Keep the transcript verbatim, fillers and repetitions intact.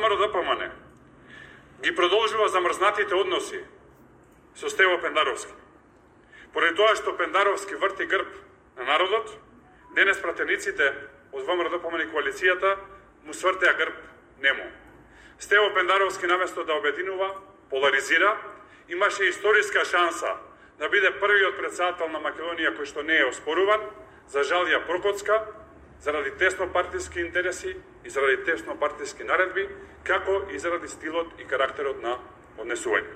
ВМРО-ДПМН ги продолжува замрзнатите односи со Стево Пендаровски. Поради тоа што Пендаровски врти грб на народот, денес пратениците од ВМРО-ДПМН и коалицијата му свртеа грб нему. Стево Пендаровски наместо да обединува, поларизира, имаше историска шанса да биде првиот претседател на Македонија кој што не е оспоруван, за жал ја прокоцка, заради теснопартиски интереси и заради теснопартиски наредби, како и заради стилот и карактерот на однесување.